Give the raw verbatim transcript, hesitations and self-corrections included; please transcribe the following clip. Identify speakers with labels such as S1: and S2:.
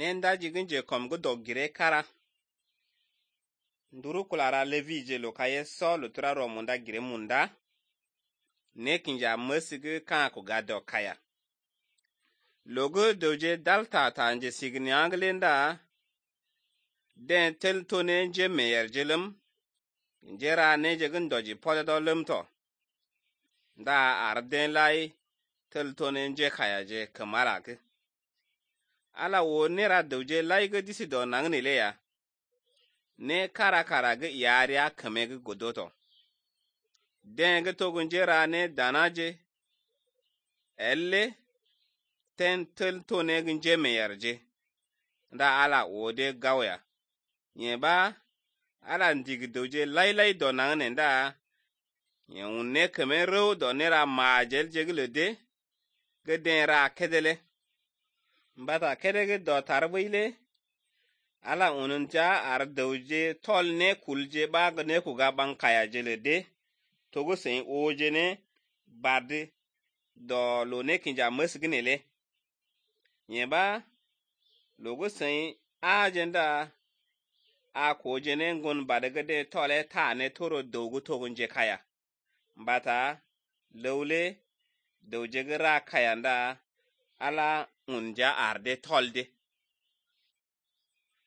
S1: nenda jigin je kom gu doggire kara nduru kulara levi je lo kaye so lutura ro munda gire munda ne kinja masigu kan ku gado kaya logo doje dalta tanje signi anglenda den tel tone je meyer jelum njera ne jegin doji podo lumto da arden lai tel tone je kaya je kamara ke ala wo nera doje lai ga disi do nangne le ya ne kara kara ga yariya kame ga godoto den ga togun jera ne danaje elle ten tel tone gin je meyer je da ala wo de gawya nyeba ala ndigi doje lai lai do nangne da yun ne kame ro do nera majel jegle de ga den ra kedele mbata kedege do tarbile ala ununja ar doje tol ne kulje ba ga ne ku ga ban kaya jele de togo sen oje ne bade do lo ne kinja masginele nyeba logo sen agenda a ko je ne ngun bade ga de tole ta ne toro dogo togun je kaya mbata lawle doje ga ra kaya nda ala unja arde tolde